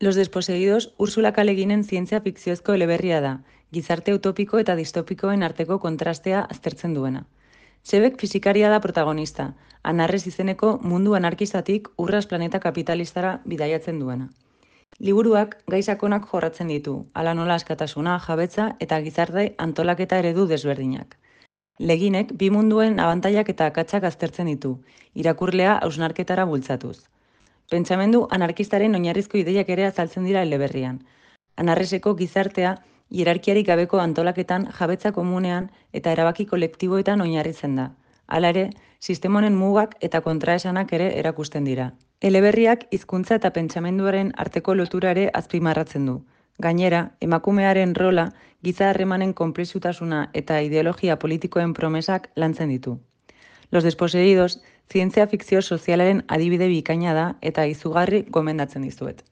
Los desposeídos Ursula K. Le Guinen zientzia fikziozko eleberria da, gizarte utopiko eta distopikoen arteko kontrastea aztertzen duena. Sebek fisikaria da protagonista, Anarres izeneko mundu anarkistatik urras planeta kapitalistara bidaiatzen duena. Liburuak gai sakonak jorratzen ditu, hala nola askatasuna, jabetza eta gizarte antolaketa eredu desberdinak. Leginek bi munduen abantailak eta akatsak aztertzen ditu, irakurlea hausnarketara bultzatuz. Pentsamendu anarkistaren oinarrizko ideiak ere azaltzen dira eleberrian. Anarreseko gizartea hierarkiarik gabeko antolaketan, jabetza komunean eta erabaki kolektiboetan oinarritzen da. Hala ere, sistema honen mugak eta kontraesanak ere erakusten dira. Eleberriak hizkuntza eta pentsamenduaren arteko lotura ere azpimarratzen du. Gainera, emakumearen rola, giza harremanen konplexutasuna eta ideologia politikoen promesak lantzen ditu. Los desposeídos zientzia fikzio sozialaren adibide bikaina da eta izugarri gomendatzen dizuet.